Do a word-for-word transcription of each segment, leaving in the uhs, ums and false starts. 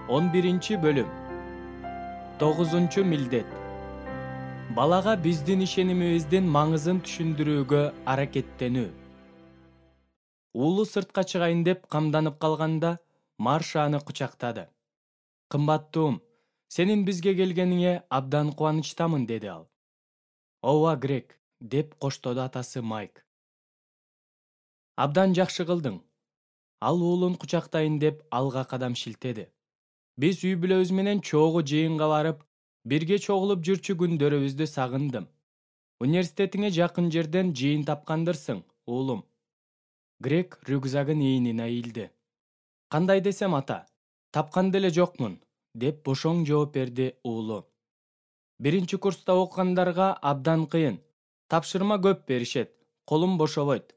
он биринчи бөлүм. тогузунчу милдет. Балага биздин ишенимибиздин маңызын түшүндүрүүгө аракеттенүү. Уулу сыртка чыгайын деп камданып калганда, Марша аны кучактады. Кымбаттуум, сенин бизге келгениңе абдан кубанычтамын, деди ал. Ооба, Грег, деп коштоду атасы Майк. Абдан жакшы кылдың. Ал уулун кучактайын деп алга кадам шилтеди. Биз үй бүлөбүз менен чогуу жыйынга барып, бирге чогулуп жүрчү күндөрүбүздү сагындым. Университетиңе жакын жерден жыйын тапкандырсың, уулум. Грег рюкзагын ийнине ийилди. Кандай десем, ата, тапкан деле жокмун, деп бошоң жооп берди уулу. Биринчи курста окугандарга абдан кыйын. Тапшырма көп беришет, колум бошобойт.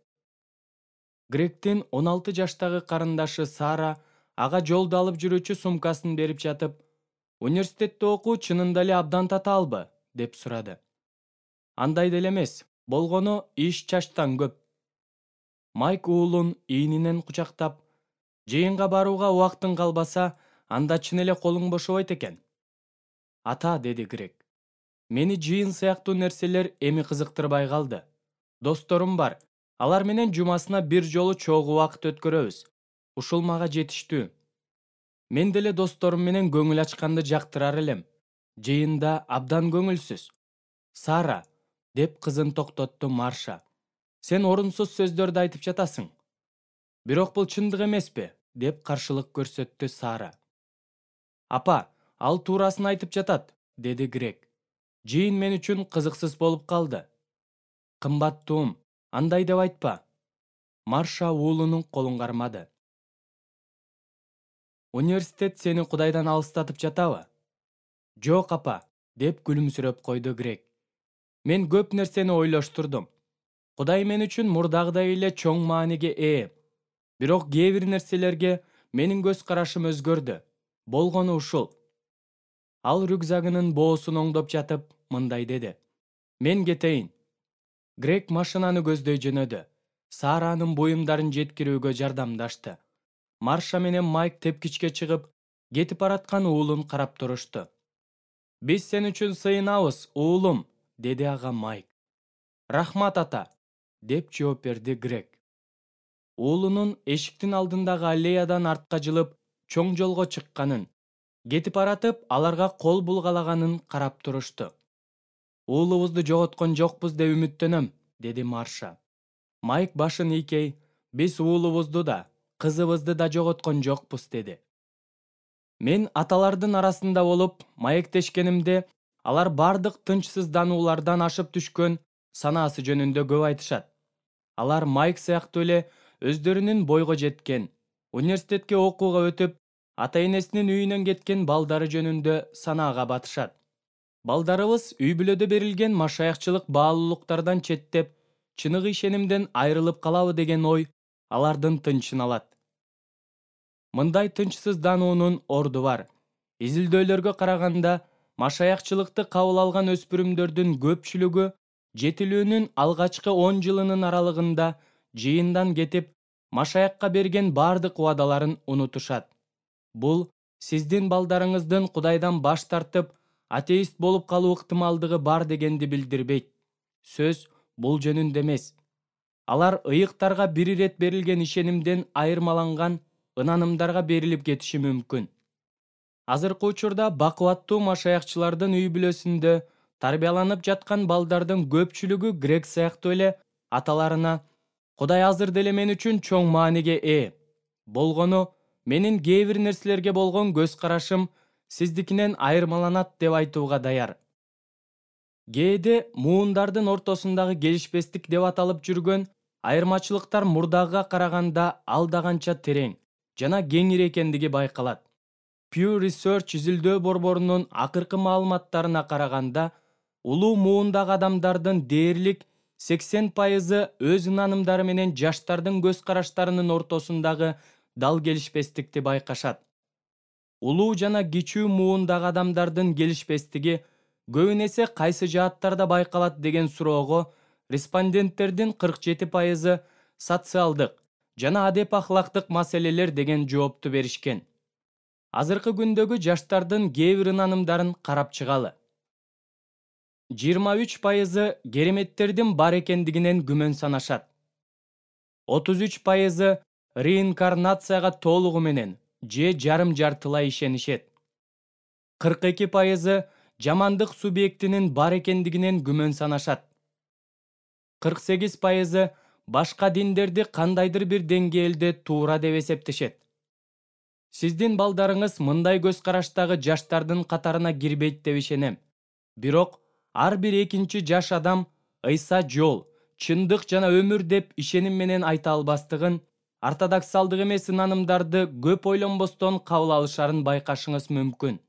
Грегдин он алты жаштагы карындашы Сара ага жолдо алып жүрүүчү сумкасын берип жатып, университетте окуу чынында эле абдан татаалбы, деп сурады. Андай деле эмес, болгону иш чачтан көп. Майк уулун ийнинен кучактап, жыйынга барууга убактың калбаса, анда чын эле колуң бошобойт экен. Ата, деди Грег. Мени жыйын сыяктуу нерселер эми кызыктырбай калды. Досторум бар, алар менен жумасына бир жолу чогуу убакыт өткөрөбүз. Ушул мага жетиштүү. Мен деле досторум менен көңүл ачканды жактырар элем. Жыйында абдан көңүлсүз. Сара, деп кызын токтотту Марша. Сен орунсуз сөздөрдү айтып жатасың. Бирок бул чындык эмеспи, деп каршылык көрсөттү Сара. Апа, ал туурасын айтып жатат, деди Грег. Жыйын мен үчүн кызыксыз болуп калды. Кымбаттуум, андай деп айтпа. Марша уулунун колун кармады. Университет сени Кудайдан алыстатып жатабы? Жок, апа, деп күлүмсүрөп койду Грег. Мен көп нерсени ойлоштурдум. Кудай мен үчүн мурдагыдай эле чоң мааниге ээ. Бирок кээ бир нерселерге менин көз карашым өзгөрдү. Болгону ушул. Ал рюкзагынын боосун оңдоп жатып, мындай деди. Мен кетейин. Грег машинаны көздөй жөнөдү. Саранын буюмдарын жеткирүүгө жардамдашты. Марша менен Майк тепкичке чыгып, кетип бараткан уулун карап турушту. Биз сен үчүн сыйынабыз, уулум, деди ага Майк. Рахмат, ата, деп жооп берди Грег. Уулунун эшиктин алдындагы аллеядан артка жылып, чоң жолго чыкканын, кетип баратып, аларга кол булгалаганын карап турушту. Уулубузду жоготкон жокпуз деп үмүттөнөм, деди Марша. Майк башын ийкей, биз уулубузду да, кызыбызды да жоготкон жокпуз, деди. Мен аталардын арасында болуп, маектешкенимде, алар бардык тынчсыздануулардан ашып түшкөн санаасы жөнүндө көп айтышат. Алар Майк сыяктуу эле өздөрүнүн бойго жеткен, университетке окууга өтүп, ата-энесинин үйүнөн кеткен балдары жөнүндө санаага батышат. Балдарыбыз үй бүлөдө берилген машаякчылык баалуулуктардан четтеп, чыныгы ишенимден айрылып калабы деген ой алардын тынчын алат. Мындай тынчсыздануунун орду бар. Изилдөөлөргө караганда, машаякчылыкты кабыл алган өспүрүмдөрдүн көпчүлүгү жетилүүнүн алгачкы он жылынын аралыгында жыйындан кетип, машаякка берген бардык убадаларын унутушат. Бул сиздин балдарыңыздын Кудайдан баш тартып, атеист болуп калуу ыктымалдыгы бар дегенди билдирбейт. Сөз бул жөнүндө эмес. Алар ыйыктарга бир ирет берилген ишенимден айырмаланган ынанымдарга берилип кетиши мүмкүн. Азыркы учурда бакубаттуу машаякчылардын үй бүлөсүндө тарбияланып жаткан балдардын көпчүлүгү Грег сыяктуу эле аталарына Кудай азыр деле мен үчүн чоң мааниге ээ. Болгону менин кээ бир нерселерге болгон көз карашым сиздикинен айырмаланат деп айтууга даяр. Кээде муундардын ортосундагы келишпестик деп аталып жүргөн айырмачылыктар мурдагыга караганда алда канча терең жана кеңири экендиги байкалат. Pew Research изилдөө борборунун акыркы маалыматтарына караганда, улуу муундагы адамдардын дээрлик сексен пайызы өз ынанымдары менен жаштардын көз караштарынын ортосундагы дал келишпестикти байкашат. Улуу жана кичүү муундагы адамдардын келишпестиги көбүн эсе кайсы жааттарда байкалат деген суроого респонденттердин кырк жети пайызы социалдык жана адеп ахлактык маселелер деген жоопту беришкен. Азыркы күндөгү жаштардын кээ бир ынанымдарын карап чыгалы. жыйырма үч пайызы кереметтердин бар экендигинен күмөн санашат. отуз үч пайызы реинкарнацияга толугу менен же жарым жартылай ишенишет. кырк эки пайызы жамандык субъектинин бар экендигинен күмөн санашат. кырк сегиз пайызы башка диндерди кандайдыр бир деңгээлде туура деп эсептешет. Сиздин балдарыңыз мындай көз караштагы жаштардын катарына кирбейт деп ишенем. Бирок ар бир экинчи жаш адам Ыйса жол, чындык жана өмүр деп ишеним менен айта албастыгын, ортодоксалдык эмес ынанымдарды көп ойлонбостон кабыл алышарын байкашыңыз мүмкүн.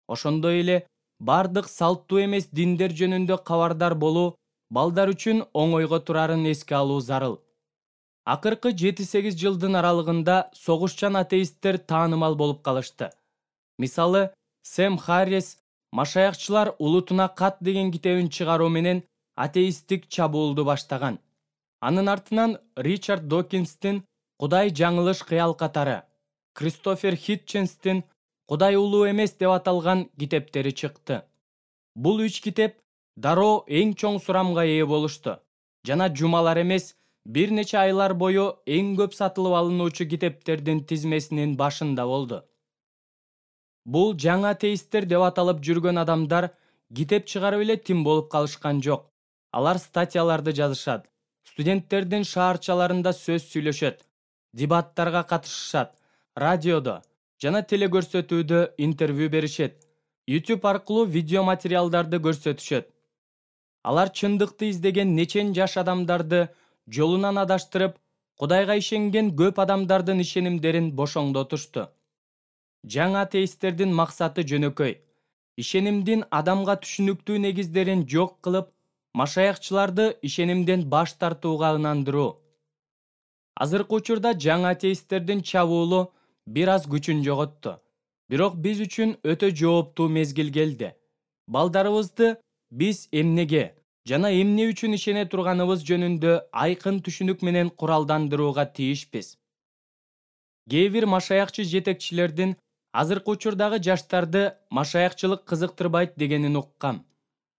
Ошондой эле бардык салттуу эмес диндер жөнүндө кабардар болуу балдар үчүн оңойго турарын эске алуу зарыл. Акыркы жети сегиз жылдын аралыгында согушчан атеисттер таанымал болуп калышты. Мисалы, Сэм Харрис Машаякчылар улутуна кат деген китебин чыгаруу менен атеисттик чабуулду баштаган. Анын артынан Ричард Докинстин Кудай жаңылыш кыял катары, Кристофер Хитченстин Кудай улуу эмес деп аталган китептери чыкты. Бул үч китеп дароо эң чоң сурамга ээ болушту жана жумалар эмес, бир нече айлар бою эң көп сатылып алынуучу китептердин тизмесинин башында болду. Бул жаңы атеисттер деп аталып жүргөн адамдар китеп чыгарып эле тим болуп калышкан жок. Алар статьяларды жазышат, студенттердин шаарчаларында сөз сүйлөшөт, дебаттарга катышышат, радиодо жана телекөрсөтүүдө интервью беришет, YouTube аркылуу видео материалдарды көрсөтүшөт. Алар чындыкты издеген нечен жаш адамдарды жолунан адаштырып, Кудайга ишенген көп адамдардын ишенимдерин бошоңдотушту. Жаңы атеисттердин максаты жөнөкөй. Ишенимдин адамга түшүнүктүү негиздерин жок кылып, машаякчыларды ишенимден баш тартууга ынандыруу. Азыркы учурда жаңы атеисттердин чабуулу бир аз күчүн жоготту. Бирок биз үчүн өтө жооптуу мезгил келди. Балдарыбызды биз эмнеге жана эмне үчүн ишене турганыбыз жөнүндө айкын түшүнүк менен куралдандырууга тийишпиз. Кээ бир машаякчы жетекчилердин азыркы учурдагы жаштарды машаякчылык кызыктырбайт дегенин уккам.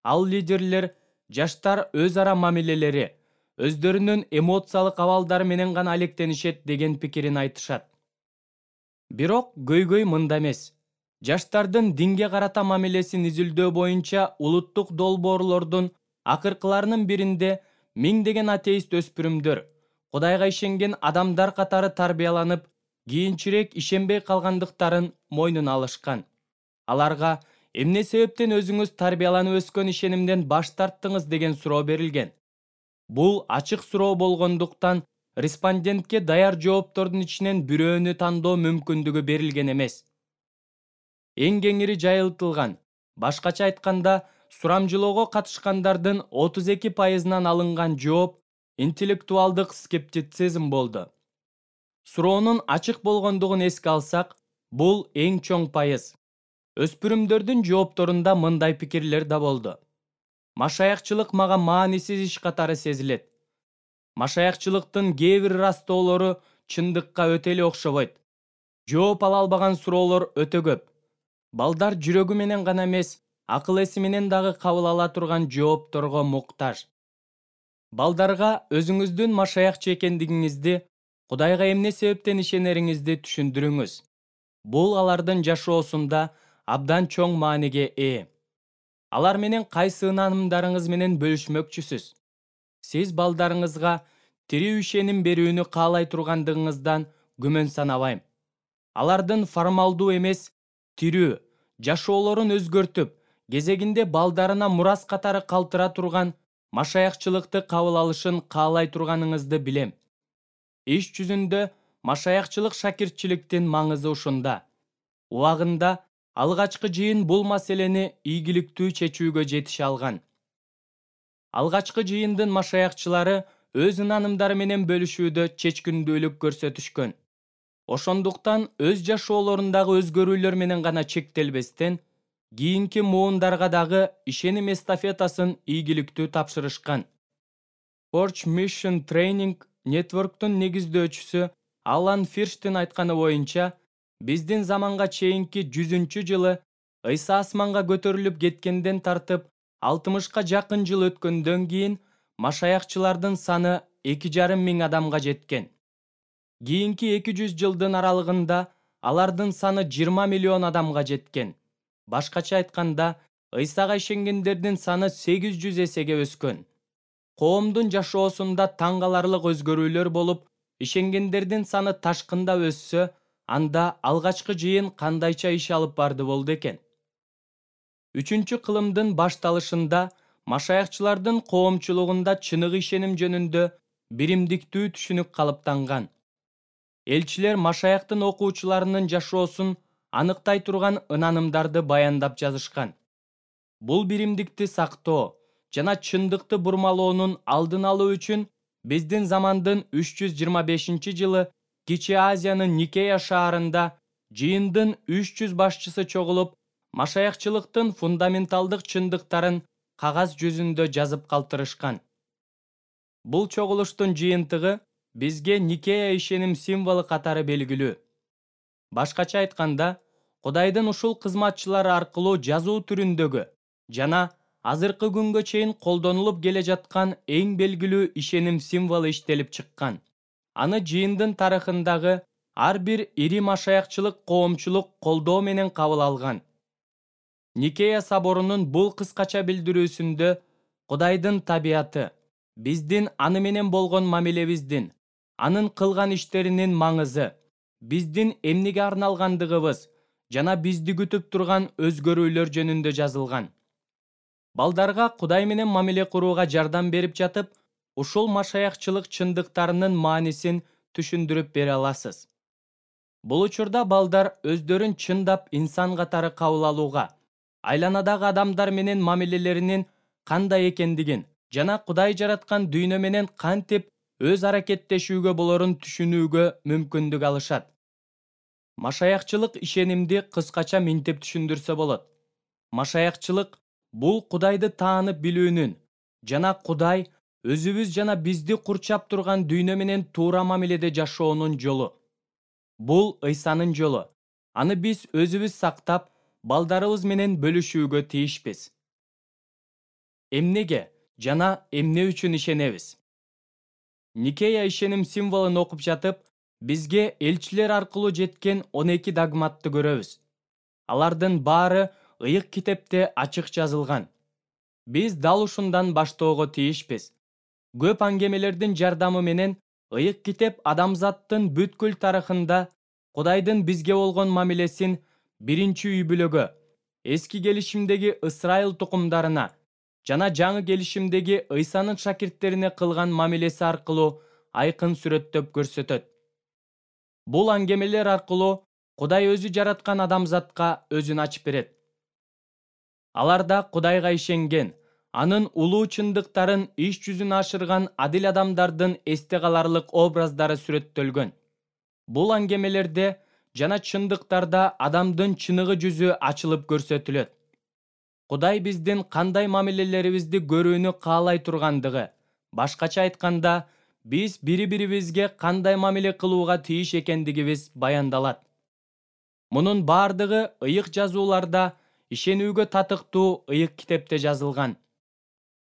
Ал лидерлер жаштар өз ара мамилелери, өздөрүнүн эмоциялык абалдары менен гана алектенишет деген пикирин айтышат. Бирок көйгөй мында эмес. Жаштардын динге карата мамилесин изилдөө боюнча улуттук долбоорлордун акыркыларынын биринде миңдеген атеист өспүрүмдөр Кудайга ишенген адамдар катары тарбияланып, кийинчерээк ишенбей калгандыктарын мойнуна алышкан. Аларга эмне себептен өзүңүз тарбияланып өскөн ишенимден баш тарттыңыз деген суроо берилген. Бул ачык суроо болгондуктан респондентке даяр жооптордун ичинен бирөөнү тандоо мүмкүндүгү берилген эмес. Эң кеңири жайылтылган, башкача айтканда, сурамжылоого катышкандардын отуз эки пайызынан алынган жооп интеллектуалдык скептицизм болду. Суроонун ачык болгондугун эске алсак, бул эң чоң пайыз. Өспүрүмдөрдүн жоопторунда мындай пикирлер да болду. Машаякчылык мага маанисиз иш катары сезилет. Машаякчылыктын кээ бир ырастоолору чындыкка өтө эле окшобойт. Жооп ала албаган суроолор өтө көп. Балдар жүрөгү менен гана эмес, акыл эси менен дагы кабыл ала турган жоопторго муктаж. Балдарга өзүңүздүн машаякчы экендигиңизди, Кудайга эмне себептен ишенериңизди түшүндүрүңүз. Бул алардын жашоосунда абдан чоң мааниге ээ. Алар менен кайсы ынанымдарыңыз менен бөлүшмөкчүсүз? Сиз балдарыңызга тирүү ишеним берүүнү каалай тургандыгыңыздан күмөн санабайм. Алардын формалдуу эмес, тирүү жашоолорун өзгөртүп, кезегинде балдарына мурас катары калтыра турган машаякчылыкты кабыл алышын каалай турганыңызды билем. Иш жүзүндө машаякчылык шакиртчиликтин маңызы ушунда. Убагында алгачкы жыйын бул маселени ийгиликтүү чечүүгө жетише алган. Алгачкы жыйындын машаякчылары өз ынанымдары менен бөлүшүүдө чечкиндүүлүк көрсөтүшкөн. Ошондуктан өз жашоолорундагы өзгөрүүлөр менен гана чектелбестен, кийинки муундарга дагы ишеним эстафетасын ийгиликтүү тапшырышкан. Forge Mission Training Network'тун негиздөөчүсү Алан Фирштин айтканы боюнча, биздин заманга чейинки жүзүнчү жылы Ыйса асманга көтөрүлүп кеткенден тартып алтымышка жакын жыл өткөндөн кийин машаякчылардын саны эки жарым миң адамга жеткен. Кийинки эки жүз жылдын аралыгында алардын саны жыйырма миллион адамга жеткен. Башкача айтканда, Ыйсага ишенгендердин саны сегиз жүз эсеге өскөн. Коомдун жашоосунда таң каларлык өзгөрүүлөр болуп, ишенгендердин саны ташкында өссө, анда алгачкы жыйын кандайча иш алып барды болду экен? Үчүнчү кылымдын башталышында машаякчылардын коомчулугунда чыныгы ишеним жөнүндө биримдиктүү түшүнүк калыптанган. Элчилер машаяктын окуучуларынын жашоосун аныктай турган ынанымдарды баяндап жазышкан. Бул биримдикти сактоо жана чындыкты бурмалоонун алдын алуу үчүн биздин замандын үч жүз жыйырма бешинчи жылы Кичи Азиянын Никея шаарында жыйындын үч жүз башчысы чогулуп, машаякчылыктын фундаменталдык чындыктарын кагаз жүзүндө жазып калтырышкан. Бул чогулуштун жыйынтыгы бизге Никея ишеним символу катары белгилүү. Башкача айтканда, Кудайдын ушул кызматчылары аркылуу жазуу түрүндөгү жана азыркы күнгө чейин колдонулуп келе жаткан эң белгилүү ишеним символу иштелип чыккан. Аны жыйындын тарыхындагы ар бир ири машаякчылык коомчулук колдоо менен кабыл алган. Никея соборунун бул кыскача билдирүүсүндө Кудайдын табияты, биздин аны менен болгон мамилебиздин, анын кылган иштеринин маңызы, биздин эмнеге арналгандыгыбыз жана бизди күтүп турган өзгөрүүлөр жөнүндө жазылган. Балдарга Кудай менен мамиле курууга жардам берип жатып, ушул машаякчылык чындыктарынын маанисин түшүндүрүп бере аласыз. Бул учурда балдар өздөрүн чындап инсан катары кабыл алууга, айланадагы адамдар менен мамилелеринин кандай экендигин жана Кудай жараткан дүйнө менен кантип өз аракеттешүүгө болорун түшүнүүгө мүмкүндүк алышат. Машаякчылык ишенимди кыскача минтип түшүндүрсө болот. Машаякчылык бул Кудайды таанып билүүнүн жана Кудай өзүбүз жана бизди курчап турган дүйнө менен туура мамиледе жашоонун жолу. Бул Ыйсанын жолу. Аны биз өзүбүз сактап, балдарыбыз менен бөлүшүүгө тийишпиз. Эмнеге жана эмне үчүн ишенебиз? Никея ишеним символун окуп жатып, бизге элчилер аркылуу жеткен он эки догматты көрөбүз. Алардын баары ыйык китепте ачык жазылган. Биз дал ушундан баштоого тийишпиз. Көп аңгемелердин жардамы менен ыйык китеп адамзаттын бүткүл тарыхында Кудайдын бизге болгон мамилесин биринчи үй бүлөгө, эски келишимдеги Ысрайыл тукумдарына жана жаңы келишимдеги Ыйсанын шакирттерине кылган мамилеси аркылуу айкын сүрөттөп көрсөтөт. Бул аңгемелер аркылуу Кудай өзү жараткан адамзатка өзүн ачып берет. Аларда Кудайга ишенген, анын улуу чындыктарын иш жүзүнө ашырган адил адамдардын эсте каларлык образдары сүрөттөлгөн. Бул аңгемелерде жана чындыктарда адамдын чыныгы жүзү ачылып көрсөтүлөт. Кудай биздин кандай мамилелерибизди көрүүнү каалай тургандыгы, башкача айтканда, биз бири-бирибизге кандай мамиле кылууга тийиш экендигибиз баяндалат. Мунун баардыгы ыйык жазууларда, ишенүүгө татыктуу ыйык китепте жазылган.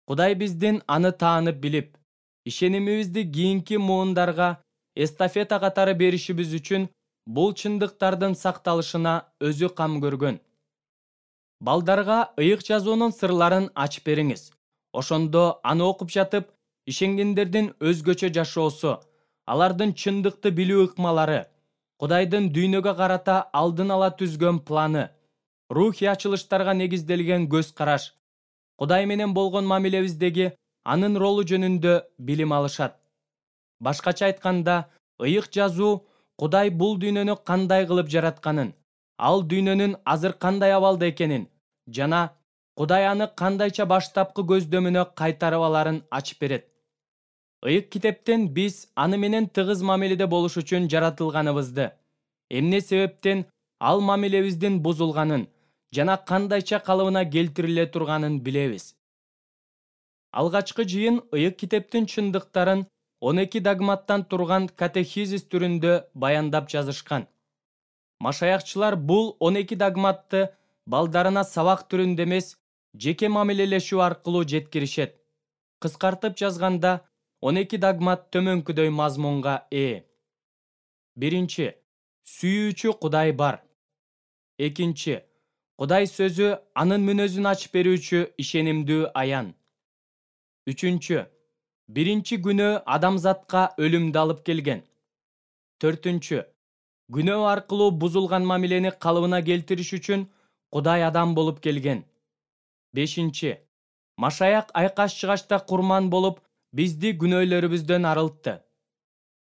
Кудай биздин аны таанып билип, ишенимибизди кийинки муундарга эстафета катары беришибиз үчүн бул чындыктардын сакталышына өзү кам көргөн. Балдарга ыйык жазуунун сырларын ачып бериңиз. Ошондо аны окуп жатып, ишенгендердин өзгөчө жашоосу, алардын чындыкты билүү ыкмалары, Кудайдын дүйнөгө карата алдын ала түзгөн планы, рухий ачылыштарга негизделген көз караш, Кудай менен болгон мамилебиздеги анын ролу жөнүндө билим алышат. Башкача айтканда, ыйык жазуу Кудай бул дүйнөнү кандай кылып жаратканын, ал дүйнөнүн азыр кандай абалда экенин жана Кудай аны кандайча баштапкы көздөмүнө кайтарып аларын ачып берет. Ыйык китептен биз аны менен тыгыз мамиледе болуш үчүн жаратылганыбызды, эмне себептен ал мамилебиздин бузулганын жана кандайча калыбына келтириле турганын билебиз. Алгачкы жыйын ыйык китептин чындыктарын он эки догматтан турган катехизис түрүндө баяндап жазышкан. Машаякчылар бул он эки догматты балдарына сабак түрүндө эмес, жеке мамилелешүү аркылуу жеткиришет. Кыскартып жазганда, он эки догмат төмөнкүдөй мазмунга ээ. Биринчи. Сүйүүчү Кудай бар. Экинчи. Кудай сөзү анын мүнөзүн ачып берүүчү ишенимдүү аян. Үчүнчү. Биринчи күнөө адамзатка өлүмдү алып келген. Төртүнчү. Күнөө аркылуу бузулган мамилени калыбына келтириш үчүн Кудай адам болуп келген. Бешинчи. Машаяк айкаш чыгачта курман болуп, бизди күнөөлөрүбүздөн арылтты.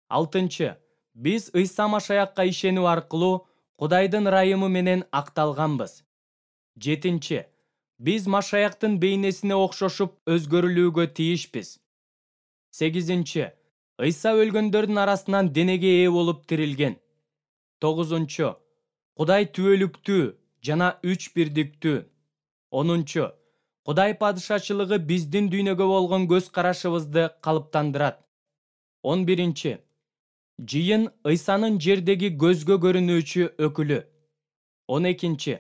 Алтынчы. Биз Ыйса Машаякка ишенүү аркылуу Кудайдын ырайымы менен акталганбыз. Жетинчи. Биз Машаяктын бейнесине окшошуп өзгөрүлүүгө тийишпиз. Сегизинчи. Ыйса өлгөндөрдүн арасынан денеге ээ болуп тирилген. Тогузунчу. Кудай түбөлүктүү жана үч бирдиктүү. Онунчу. Кудай падышачылыгы биздин дүйнөгө болгон көз карашыбызды калыптандырат. Он биринчи. Жыйын Ыйсанын жердеги көзгө көрүнүүчү өкүлү. Он экинчи.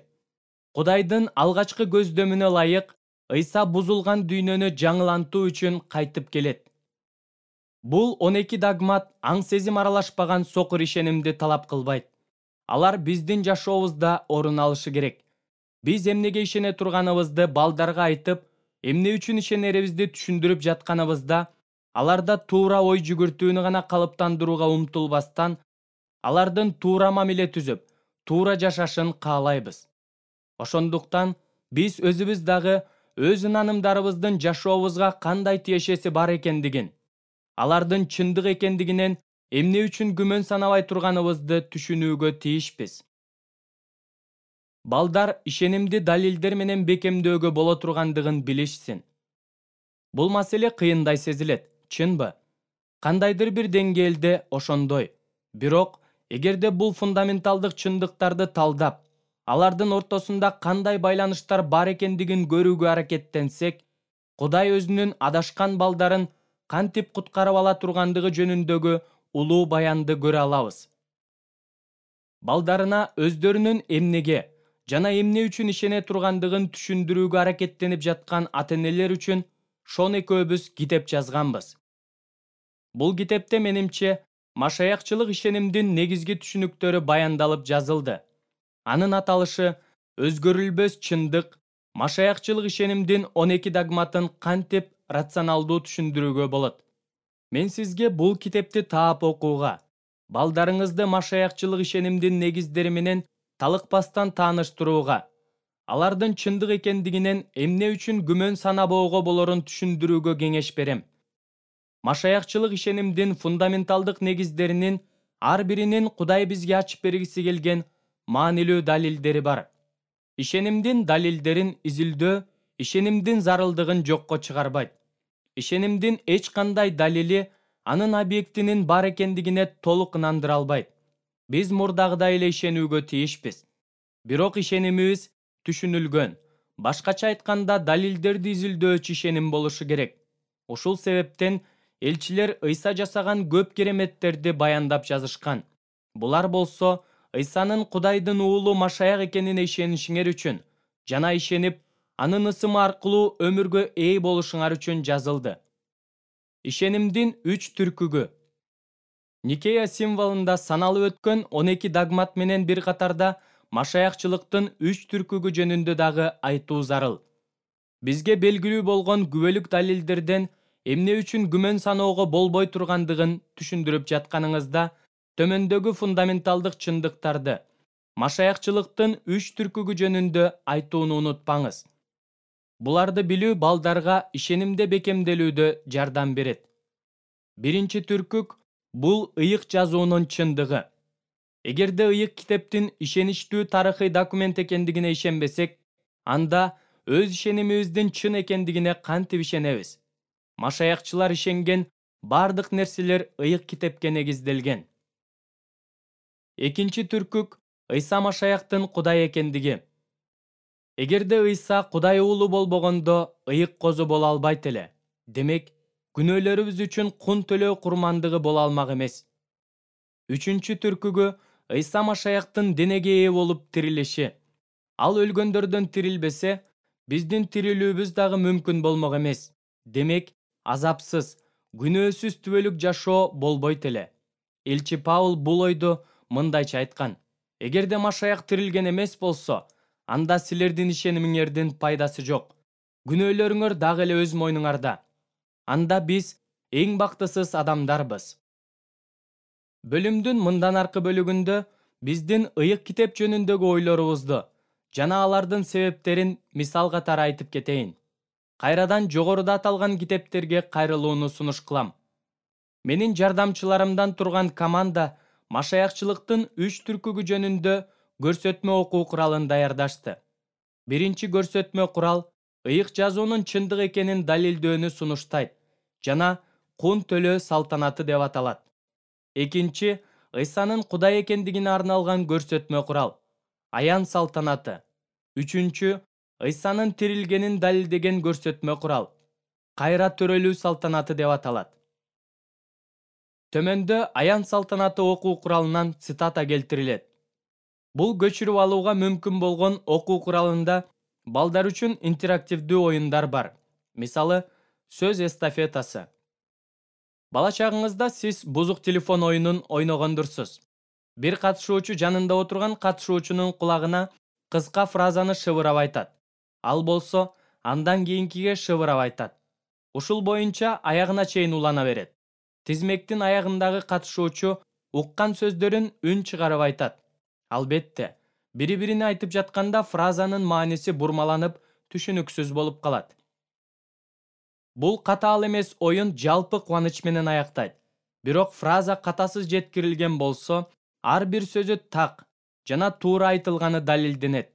Кудайдын алгачкы көздөмүнө ылайык Ыйса бузулган дүйнөнү жаңылантуу үчүн кайтып келет. Бул он эки догмат аң-сезим аралашпаган сокур ишенимди талап кылбайт. Алар биздин жашообузда орун алышы керек. Биз эмнеге ишене турганыбызды балдарга айтып, эмне үчүн ишенерибизди түшүндүрүп жатканыбызда, аларда туура ой жүгүртүүнү гана калыптандырууга умтулбастан, алардын туура мамиле түзүп, туура жашашын каалайбыз. Ошондуктан биз өзүбүз дагы өз ынанымдарыбыздын жашообузга кандай тиешеси бар экендигин, алардын чындык экендигинен эмне үчүн күмөн санабай турганыбызды түшүнүүгө тийишпиз. Балдар ишенимди далилдер менен бекемдөөгө боло тургандыгын билишсин. Бул маселе кыйындай сезилет, чынбы? Кандайдыр бир деңгээлде ошондой. Бирок, эгерде бул фундаменталдык чындыктарды талдап, алардын ортосунда кандай байланыштар бар экендигин көрүүгө аракеттенсек, Кудай өзүнүн адашкан балдарын кантип куткарып ала тургандыгы жөнүндөгү улуу баянды көрө алабыз. Балдарына өздөрүнүн эмнеге жана эмне үчүн ишене тургандыгын түшүндүрүүгө аракеттенип жаткан ата-энелер үчүн Шон экөөбүз китеп жазганбыз. Бул китепте менимче машаякчылык ишенимдин негизги түшүнүктөрү баяндалып жазылды. Анын аталышы өзгөрүлбөс чындык, машаякчылык ишенимдин он эки догматын кантип рационалдуу түшүндүрүүгө болот. Мен сизге бул китепти таап окууга, балдарыңызды машаякчылык ишенимдин негиздери менен талыкпастан тааныштырууга, алардын чындык экендигинен эмне үчүн күмөн санабоого болорун түшүндүрүүгө кеңеш берем. Машаякчылык ишенимдин фундаменталдык негиздеринин ар биринин Кудай бизге ачып бергиси келген маанилүү далилдери бар. Ишенимдин далилдерин изилдөө ишенимдин зарылдыгын жокко чыгарбайт. Ишенимдин эч кандай далили анын объектинин бар экендигине толук ынандыра албайт. Биз мурдагыдай эле ишенүүгө тийишпиз. Бирок ишенимибиз түшүнүлгөн, башкача айтканда далилдерди изилдөөчү ишеним болушу керек. Ушул себептен элчилер Ыйса жасаган көп кереметтерди баяндап жазышкан. Булар болсо Ыйсанын Кудайдын уулу Машаяк экенине ишенишиңер үчүн жана ишенип, анын ысымы аркылуу өмүргө ээ болушуңар үчүн жазылды. Ишенимдин үч түркүгү. Никея символунда саналып өткөн он эки догмат менен бир катарда машаякчылыктын үч түркүгү жөнүндө дагы айтуу зарыл. Бизге белгилүү болгон күбөлүк далилдерден эмне үчүн күмөн саноого болбой тургандыгын түшүндүрүп жатканыңызда, төмөндөгү фундаменталдык чындыктарды, машаякчылыктын үч түркүгү жөнүндө айтууну унутпаңыз. Буларды билүү балдарга ишенимде бекемделүүдө жардам берет. Биринчи түркүк — бул ыйык жазуунун чындыгы. Эгерде ыйык китептин ишеничтүү тарыхый документ экендигине ишенбесек, анда өз ишенимибиздин чын экендигине кантип ишенебиз? Машаякчылар ишенген бардык нерселер ыйык китепке негизделген. Экинчи түркүк — Ыйса Машаяктын Кудай экендиги. Эгерде Ыйса Кудай уулу болбогондо, ыйык козу боло албайт эле. Демек, күнөөлөрүбүз үчүн кун төлөө курмандыгы боло алмак эмес. Үчүнчү түркүгү Ыйса Машаяктын денеге ээ болуп тирилиши. Ал өлгөндөрдөн тирилбесе, биздин тирилүүбүз дагы мүмкүн болмок эмес. Демек, азапсыз, күнөөсүз түбөлүк жашоо болбойт эле. Элчи Паул бул ойду мындайча айткан: эгерде Машаяк тирилген эмес болсо, анда силердин ишенимиңердин пайдасы жок. Күнөөлөрүңөр дагы эле өз мойнуңарда. Анда биз эң бактысыз адамдарбыз. Бөлүмдүн мындан аркы бөлүгүндө биздин ыйык китеп жөнүндөгү ойлорубузду жана алардын себептерин мисал катары айтып кетейин. Кайрадан жогоруда аталган китептерге кайрылууну сунуш кылам. Менин жардамчыларымдан турган команда машаякчылыктын үч түркүгү жөнүндө көрсөтмө окуу куралын даярдашты. Биринчи көрсөтмө курал ыйык жазуунун чындык экенин далилдөөнү сунуштайт жана кун төлөө салтанаты деп аталат. Экинчи Ыйсанын Кудай экендигине арналган көрсөтмө курал аян салтанаты. Үчүнчү Ыйсанын тирилгенин далилдеген көрсөтмө курал кайра төрөлүү салтанаты деп аталат. Төмөндө аян салтанаты окуу куралынан цитата келтирилет. Бул көчүрүп алууга мүмкүн болгон окуу куралында балдар үчүн интерактивдүү оюндар бар. Мисалы, сөз эстафетасы. Бала чагыңызда сиз бузук телефон оюнун ойногондурсуз. Бир катышуучу жанында отурган катышуучунун кулагына кыска фразаны шыбырап айтат. Ал болсо андан кийинкиге шыбырап айтат. Ушул боюнча аягына чейин улана берет. Тизмектин аягындагы катышуучу уккан сөздөрүн үн чыгарып айтат. Албетте, бири-бирине айтып жатканда фразанын мааниси бурмаланып, түшүнүксүз болуп калат. Бул катаал эмес оюн жалпы кубаныч менен аяктайт. Бирок фраза катасыз жеткирилген болсо, ар бир сөзү так жана туура айтылганы далилденет.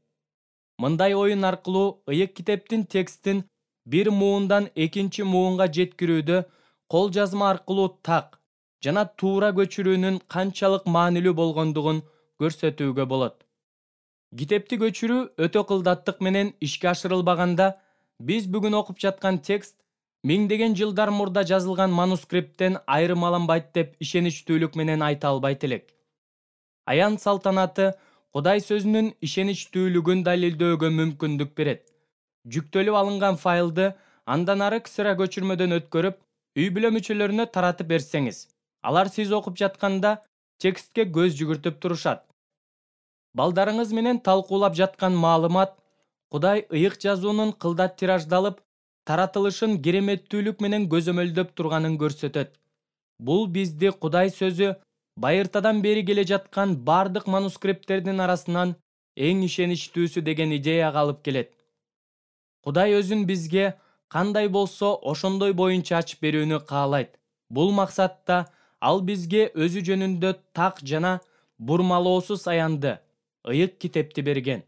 Мындай оюн аркылуу ыйык китептин текстин бир муундан экинчи муунга жеткирүүдө кол жазма аркылуу так жана туура көчүрүүнүн канчалык маанилүү болгондугун көрсөтүүгө болот. Китепти көчүрүү өтө кылдаттык менен ишке ашырылбаганда, биз бүгүн окуп жаткан текст миңдеген жылдар мурда жазылган манускриптен айырмаланбайт деп ишеничтүүлүк менен айта албайт элек. Аян салтанаты Кудай сөзүнүн ишеничтүүлүгүн далилдөөгө мүмкүндүк берет. Жүктөлүп алынган файлды андан ары ксра көчүрмөдөн өткөрүп, үй бүлө мүчөлөрүнө таратып берсеңиз, алар сиз окуп жатканда текстке көз жүгүртүп турушат. Балдарыңыз менен талкуулап жаткан маалымат Кудай ыйык жазуунун кылдат тираждалып, таратылышын кереметтүүлүк менен көзөмөлдөп турганын көрсөтөт. Бул бизди Кудай сөзү байыртадан бери келе жаткан бардык манускрипттердин арасынан эң ишеничтүүсү деген идеяга алып келет. Кудай өзүн бизге кандай болсо ошондой боюнча ачып берүүнү каалайт. Бул максатта ал бизге өзү жөнүндө так жана бурмалоосуз аянды, ыйык китепти берген.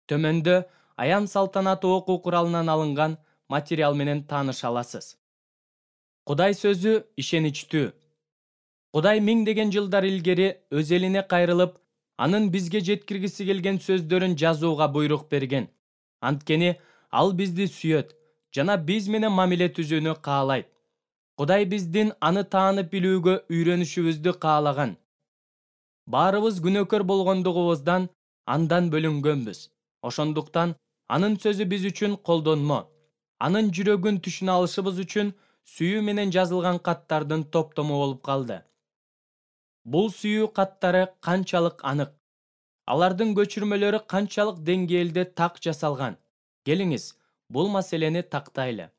Төмөндө аян салтанаты окуу куралынан алынган материал менен тааныша аласыз. Кудай сөзү ишеничтүү. Кудай миңдеген жылдар илгери өз элине кайрылып, анын бизге жеткиргиси келген сөздөрүн жазууга буйрук берген. Анткени ал бизди сүйөт жана биз менен мамиле түзүүнү каалайт. Кудай биздин аны таанып билүүгө үйрөнүшүбүздү каалаган. Баарыбыз күнөөкөр болгондугубуздан андан бөлүнгөнбүз. Ошондуктан анын сөзү биз үчүн колдонмо. Анын жүрөгүн түшүнө алышыбыз үчүн сүйүү менен жазылган каттардын топтому болуп калды. Бул сүйүү каттары канчалык анык. Алардын көчүрмөлөрү канчалык деңгээлде так жасалган. Келиңиз, бул маселени тактайлы.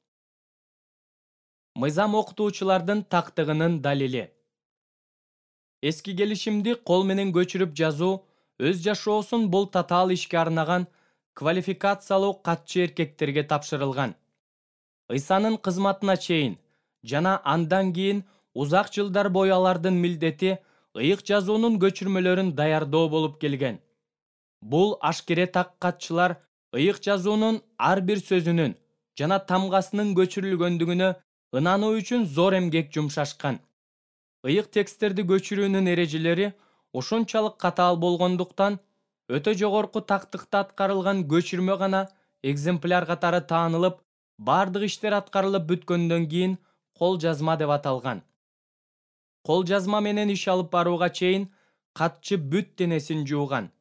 Мыйзам окутуучулардын тактыгынын далили. Эски келишимди кол менен көчүрүп жазуу өз жашоосун бул татаал ишке арнаган квалификациялуу катчы эркектерге тапшырылган. Ыйсанын кызматына чейин жана андан кийин узак жылдар бою алардын милдети ыйык жазуунун көчүрмөлөрүн даярдоо болуп келген. Бул ашкере так катчылар ыйык жазуунун ар бир сөзүнүн жана тамгасынын көчүрүлгөндүгүнө ынануу үчүн зор эмгек жумшашкан. Ыйык тексттерди көчүрүүнүн эрежелери ушунчалык катаал болгондуктан өтө жогорку тактыкта аткарылган көчүрмө гана экземпляр катары таанылып, бардык иштер аткарылып бүткөндөн кийин кол жазма деп аталган. Кол жазма менен иш алып барууга чейин катчы бүт денесин жууган.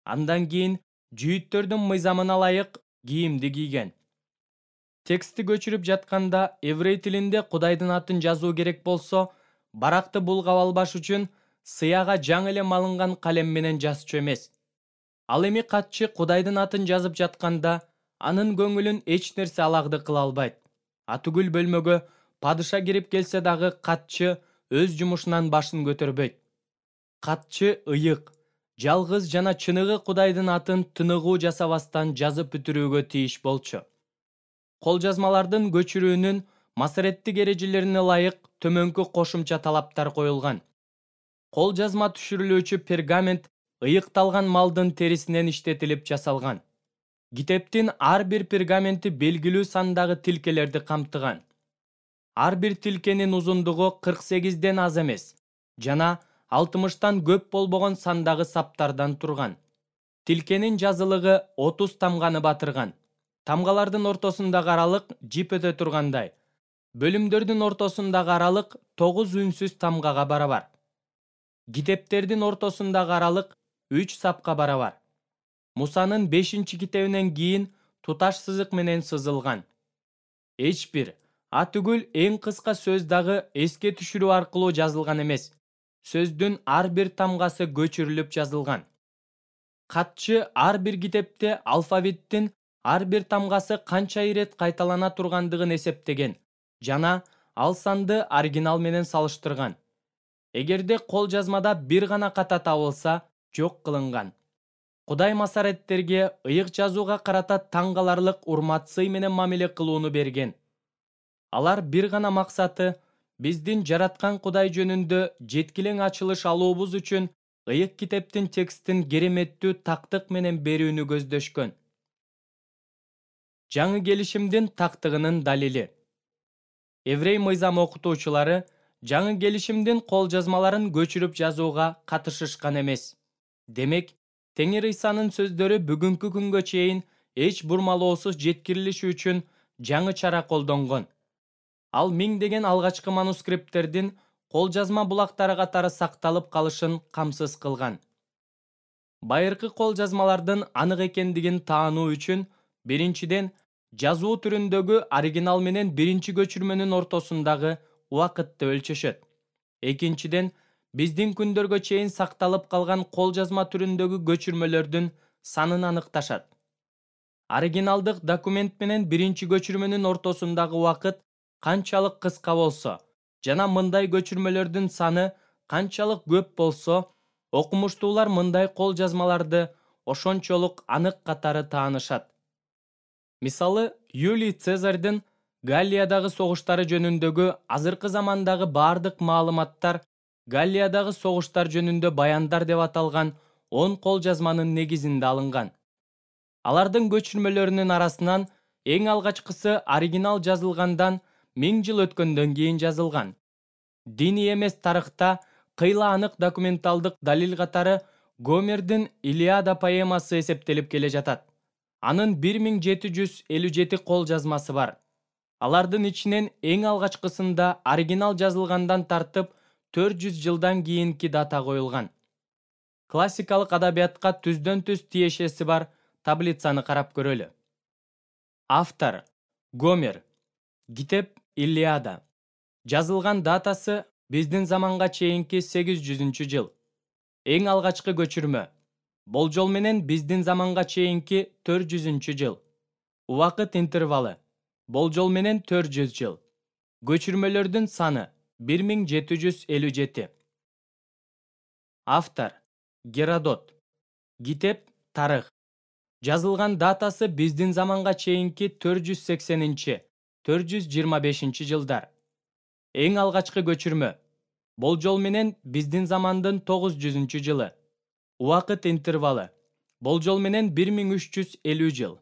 Андан кийин жүйүттөрдүн мыйзамына ылайык кийимди кийген. Текстти көчүрүп жатканда эврей тилинде Кудайдын атын жазуу керек болсо, баракты булгап албаш үчүн сыяга жаңы эле малынган калем менен жазчу эмес. Ал эми катчы Кудайдын атын жазып жатканда, анын көңүлүн эч нерсе алагды кыла албайт. Атүгүл бөлмөгө падыша кирип келсе дагы катчы өз жумушунан башын көтөрбөйт. Катчы ыйык, жалгыз жана чыныгы Кудайдын атын тыныгуу жасабастан жазып бүтүрүүгө тийиш болчу. Кол жазмалардын көчүрүүнүн масареттик эрежелерине ылайык төмөнкү кошумча талаптар коюлган. Кол жазма түшүрүлүүчү пергамент ыйыкталган малдын терисинен иштетилип жасалган. Китептин ар бир пергаменти белгилүү сандагы тилкелерди камтыган. Ар бир тилкенин узундугу кырк сегизден аз эмес жана алтымыштан көп болбогон сандагы саптардан турган. Тилкенин жазылыгы отуз тамганы батырган. Тамгалардын ортосундагы аралык жип өтө тургандай. Бөлүмдөрдүн ортосундагы аралык тогуз үнсүз тамгага барабар. Китептердин ортосундагы аралык үч сапка барабар. Мусанын бешинчи китебинен кийин туташ сызык менен сызылган. Эч бир, атүгүл эң кыска сөз дагы эске түшүрүү аркылуу жазылган эмес. Сөздүн ар бир тамгасы көчүрүлүп жазылган. Катчы ар бир китепте алфавиттин ар бир тамгасы канча ирет кайталана тургандыгын эсептеген жана ал санды оригинал менен салыштырган. Эгерде кол жазмада бир гана ката табылса, жок кылынган. Кудай масареттерге ыйык жазууга карата таң каларлык урмат сый менен мамиле кылууну берген. Алар бир гана максаты биздин жараткан Кудай жөнүндө жеткилең ачылыш алуубуз үчүн ыйык китептин текстин кереметтүү тактык менен берүүнү көздөшкөн. Жаңы келишимдин тактыгынын далили. Эврей мыйзам окутуучулары жаңы келишимдин кол жазмаларын көчүрүп жазууга катышышкан эмес. Демек, Теңир Ыйсанын сөздөрү бүгүнкү күнгө чейин эч бурмалоосуз жеткирилиши үчүн жаңы чара колдонгон. Ал миңдеген алгачкы манускрипттердин кол жазма булактары катары сакталып калышын камсыз кылган. Байыркы кол жазмалардын анык экендигин таануу үчүн биринчиден жазуу түрүндөгү оригинал менен биринчи көчүрмөнүн ортосундагы убакытты өлчөшөт. Экинчиден, биздин күндөргө чейин сакталып калган кол жазма түрүндөгү көчүрмөлөрдүн санын аныкташат. Оригиналдык документ менен биринчи көчүрмөнүн ортосундагы убакыт канчалык кыска болсо жана мындай көчүрмөлөрдүн саны канчалык көп болсо, окумуштуулар мындай кол жазмаларды ошончолук анык катары таанышат. Мисалы, Юлий Цезарьдын Галлиядагы согуштары жөнүндөгү азыркы замандагы бардык маалыматтар Галлиядагы согуштар жөнүндө баяндар деп аталган он кол жазманын негизинде алынган. Алардын көчүрмөлөрүнүн арасынан эң алгачкысы оригинал жазылгандан миң жыл өткөндөн кийин жазылган. Диний эмес тарыхта кыйла анык документалдык далил катары Гомердин Илиада поэмасы эсептелип келе жатат. Анын бир миң жети жүз элүү жети кол жазмасы бар. Алардын ичинен эң алгачкысында оригинал жазылгандан тартып төрт жүз жылдан кийинки дата коюлган. Классикалык адабиятка түздөн-түз тиешеси бар таблицаны карап көрөлү. Автор Гомер. Китеп Илиада. Жазылган датасы биздин заманга чейинки сегиз жүзүнчү жыл. Эң алгачкы көчүрмө. Болжол менен биздин заманга чейинки төрт жүзүнчү жыл. Убакыт интервалы. Болжол менен төрт жүз жыл. Көчүрмөлөрдүн саны бир миң жети жүз элүү жети. Автор Геродот. Китеп Тарых. Жазылган датасы биздин заманга чейинки төрт жүз сексенинчи — төрт жүз жыйырма бешинчи жылдар. Эң алгачкы көчүрмө. Болжол менен биздин замандын тогуз жүзүнчү жылы. Убакыт интервалы. Болжол менен бир миң үч жүз элүү жыл.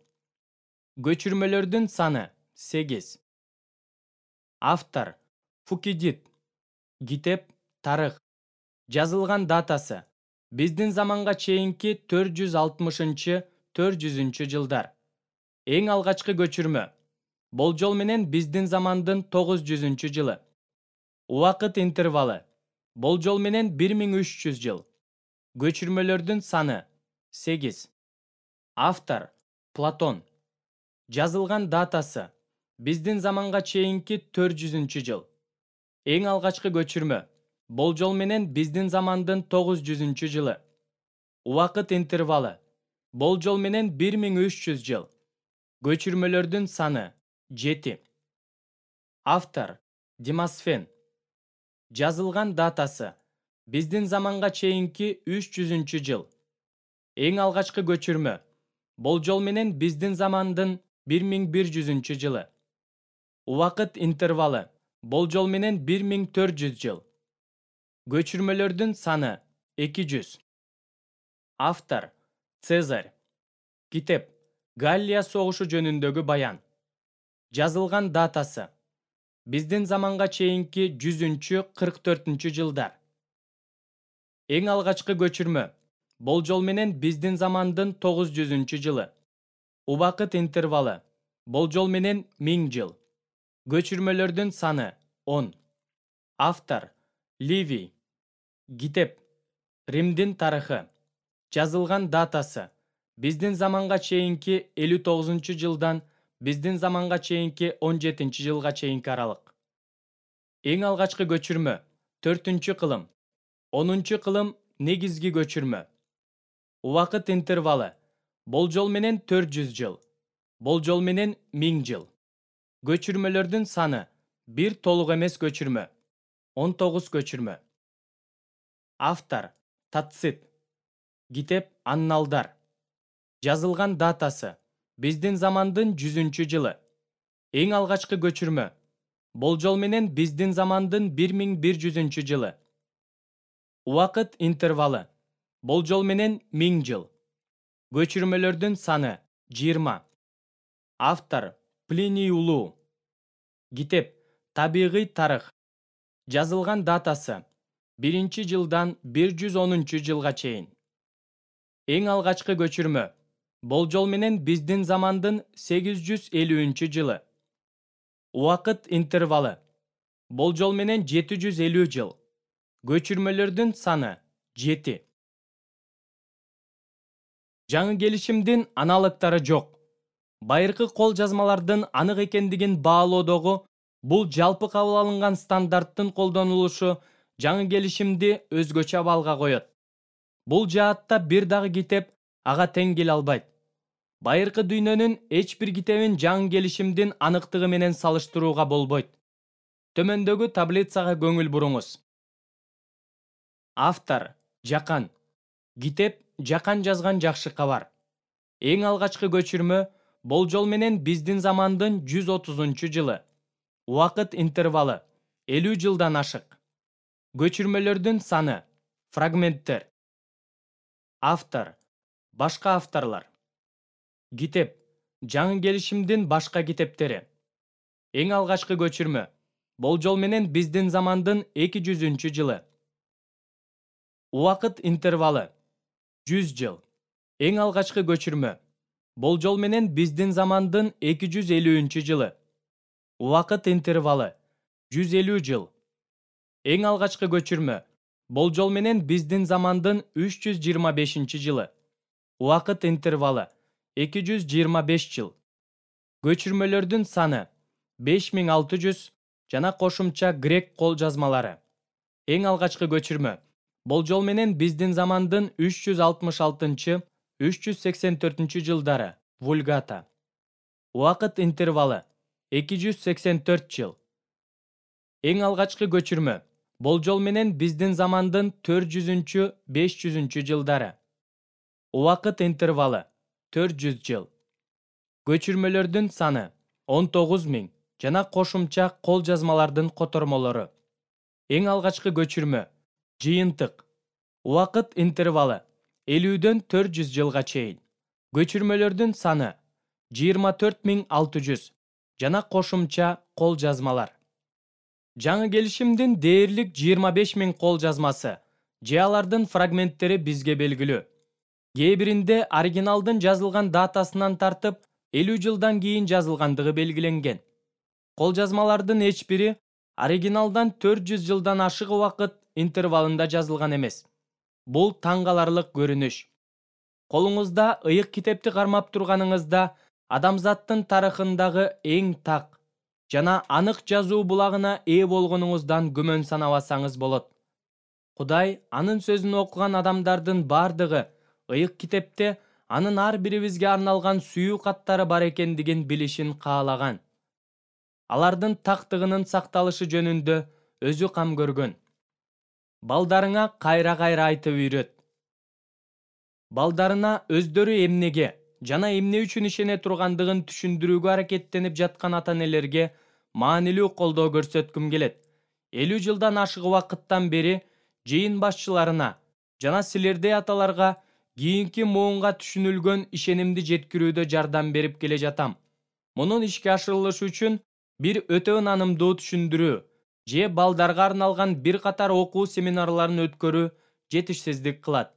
Көчүрмөлөрдүн саны сегиз. Автор Фукидид. Китеп Тарых. Жазылган датасы биздин заманга чейинки төрт жүз алтымышынчы — төрт жүзүнчү жылдар. Эң алгачкы көчүрмө. Болжол менен биздин замандын тогуз жүзүнчү жылы. Убакыт интервалы. Болжол менен бир миң үч жүз жыл. Көчүрмөлөрдүн саны сегиз. Автор Платон. Жазылган датасы биздин заманга чейинки төрт жүзүнчү жыл. Эң алгачкы көчүрмө болжол менен биздин замандын тогуз жүзүнчү жылы. Убакыт интервалы болжол менен бир миң үч жүз жыл. Көчүрмөлөрдүн саны жети. Автор Демосфен. Жазылган датасы биздин заманга чейинки үч жүзүнчү жыл. Эң алгачкы көчүрмө болжол менен биздин замандын бир миң бир жүзүнчү жылы. Убакыт интервалы болжол менен бир миң төрт жүз жыл. Көчүрмөлөрдүн саны эки жүз. Автор Цезарь. Китеп Галлия согушу жөнүндөгү баян. Жазылган датасы биздин заманга чейинки жүзүнчү кырк төртүнчү жылдар. Эң алгачкы көчүрмө болжол менен биздин замандын тогуз жүзүнчү жылы. Убакыт интервалы болжол менен миң жыл. Көчүрмөлөрдүн саны он. Автор Ливий. Китеп Римдин тарыхы. Жазылган датасы биздин заманга чейинки элүү тогузунчу жылдан биздин заманга чейинки он жетинчи жылга чейинки аралык. Эң алгачкы көчүрмө төртүнчү кылым. онунчу кылым негизги көчүрмө. Убакыт интервалы болжол менен төрт жүз жыл. Болжол менен миң жыл. Көчүрмөлөрдүн саны бир толук эмес көчүрмө. он тогуз көчүрмө. Автор Тацит. Китеп Анналдар. Жазылган датасы биздин замандын жүзүнчү жылы. Эң алгачкы көчүрмө болжол менен биздин замандын бир миң бир жүзүнчү жылы. Убакыт интервалы болжол менен миң жыл. Көчүрмөлөрдүн саны жыйырма. Автор Плиний улуу. Китеп Табигый тарых. Жазылган датасы биринчи жылдан бир жүз онунчу жылга чейин. Эң алгачкы көчүрмө болжол менен биздин замандын сегиз жүз элүүнчү жылы. Убакыт интервалы болжол менен жети жүз элүү жыл. Көчүрмөлөрдүн саны жети. Жаңы келишимдин аналыктары жок. Байыркы кол жазмалардын анык экендигин баалоодогу бул жалпы кабыл алынган стандарттын колдонулушу жаңы келишимди өзгөчө абалга коет. Бул жаатта бир дагы китеп ага тең келе албайт. Байыркы дүйнөнүн эч бир китебин жаңы келишимдин аныктыгы менен салыштырууга болбойт. Төмөндөгү таблицага көңүл буруңуз. Автор Жакан. Китеп Жакан жазган жакшы кабар. Эң алгачкы көчүрмө болжол менен биздин замандын жүз отузунчу жылы. Убакыт интервалы элүү жылдан ашык. Көчүрмөлөрдүн саны фрагменттер. Автор башка авторлор. Китеп жаңы келишимдин башка китептери. Эң алгачкы көчүрмө болжол менен биздин замандын эки жүзүнчү жылы. Убакыт интервалы жүз жыл. Эң алгачкы көчүрмө болжол менен биздин замандын эки жүз элүүнчү жылы. Убакыт интервалы жүз элүү жыл. Эң алгачкы көчүрмө болжол менен биздин замандын үч жүз жыйырма бешинчи жылы. Убакыт интервалы эки жүз жыйырма беш жыл. Көчүрмөлөрдүн саны беш миң алты жүз жана кошумча грек кол жазмалары. Эң алгачкы көчүрмө болжол менен биздин замандын үч жүз алтымыш алтынчы — үч жүз сексен төртүнчү жылдары. Вульгата. Убакыт интервалы эки жүз сексен төрт жыл. Эң алгачкы көчүрмө болжол менен биздин замандын төрт жүзүнчү — беш жүзүнчү жылдары. Убакыт интервалы төрт жүз жыл. Көчүрмөлөрдүн саны он тогуз миң жана кошумча кол жазмалардын котормолору. Эң алгачкы көчүрмө жыйынтык. Убакыт интервалы элүүдөн төрт жүз жылга чейин. Көчүрмөлөрдүн саны жыйырма төрт миң алты жүз жана кошумча кол жазмалар. Жаңы келишимдин дээрлик жыйырма беш миң кол жазмасы же алардын фрагменттери бизге белгилүү. Кээ биринде оригиналдын жазылган датасынан тартып элүү жылдан кийин жазылгандыгы белгиленген. Кол жазмалардын эч бири оригиналдан төрт жүз жылдан ашык убакыт интервалында жазылган эмес. Бул таң каларлык көрүнүш. Колуңузда ыйык китепти кармап турганыңызда адамзаттын тарыхындагы эң так жана анык жазуу булагына ээ болгонуңуздан күмөн санабасаңыз болот. Кудай анын сөзүн окуган адамдардын бардыгы ыйык китепте анын ар бирибизге арналган сүйүү каттары бар экендигин билишин каалаган. Алардын тактыгынын сакталышы жөнүндө өзү кам көргөн. Балдарыңа кайра-кайра айтып үйрөт. Балдарына өздөрү эмнеге жана эмне үчүн ишене тургандыгын түшүндүрүүгө аракеттенип жаткан ата-энелерге маанилүү колдоо көрсөткүм келет. элүү жылдан ашык убакыттан бери жыйын башчыларына жана силердей аталарга кийинки муунга түшүнүлгөн ишенимди жеткирүүдө жардам берип келе жатам. Мунун ишке ашырылышы үчүн бир өтө ынанымдуу түшүндүрүү же балдарга арналган бир катар окуу семинарларын өткөрүү жетишсиздик кылат.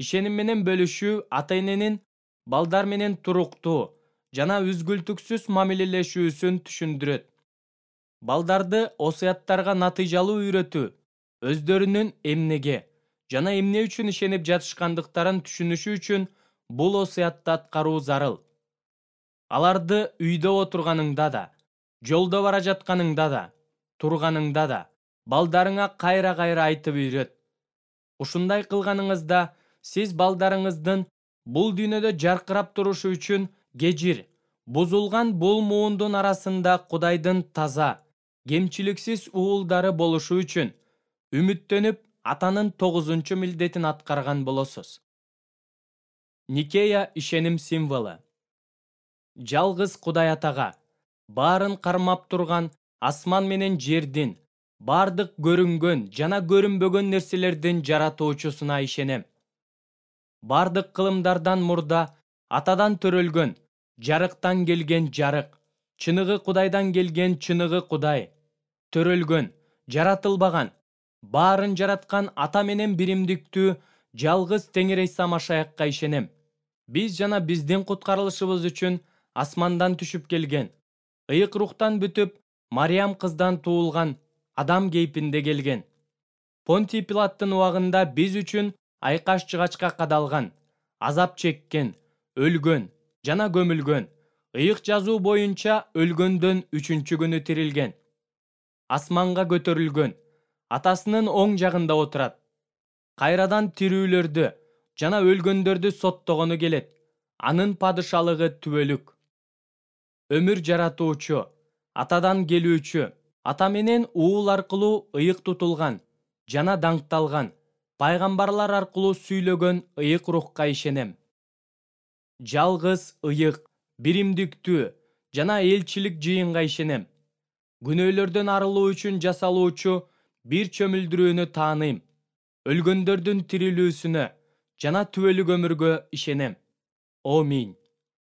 Ишеним менен бөлүшүү ата-эненин балдар менен туруктуу жана үзгүлтүксүз мамилелешүүсүн түшүндүрөт. Балдарды осуяттарга натыйжалуу үйрөтүү өздөрүнүн эмнеге жана эмне үчүн ишенип жатышкандыктарын түшүнүшү үчүн бул осуятты аткаруу зарыл. Аларды үйдө отурганыңда да, жолдо бара жатканыңда да, турганыңда да балдарыңа кайра-кайра айтып үйрөт. Ушундай кылганыңызда сиз балдарыңыздын бул дүйнөдө жаркырап турушу үчүн кежир, бузулган бул муундун арасында Кудайдын таза, кемчиликсиз уулдары болушу үчүн үмүттөнүп атанын тогузунчу милдетин аткарган болосуз. Никея ишеним символу. Жалгыз Кудай Атага, баарын кармап турган асман менен жердин, бардык көрүнгөн жана көрүнбөгөн нерселердин жаратуучусуна ишенем. Бардык кылымдардан мурда Атадан төрөлгөн, жарыктан келген жарык, чыныгы Кудайдан келген чыныгы Кудай, төрөлгөн, жаратылбаган, баарын жараткан Ата менен биримдиктүү жалгыз Теңир Иса Машаякка ишенем. Биз жана биздин куткарылышыбыз үчүн асмандан түшүп келген, ыйык рухтан бүтүп, Мариям кыздан туулган, адам кейпинде келген. Понтий Пилаттын убагында биз үчүн айкаш-чыгачка кадалган, азап чеккен, өлгөн жана көмүлгөн. Ыйык жазуу боюнча өлгөндөн үчүнчү күнү тирилген. Асманга көтөрүлгөн, Атасынын оң жагында отурат. Кайрадан тирүүлөрдү жана өлгөндөрдү соттогону келет. Анын падышалыгы түбөлүк. Өмүр жаратуучу, Атадан келүүчү, Ата менен уул аркылуу ыйык тутулган жана даңкталган, пайгамбарлар аркылуу сүйлөгөн ыйык рухка ишенем. Жалгыз ыйык, биримдиктүү жана элчилик жыйынга ишенем. Күнөөлөрдөн арылуу үчүн жасалуучу бир чөмүлдүрүүнү тааныйм. Өлгөндөрдүн тирилүүсүнө жана түбөлүк өмүргө ишенем. Аминь.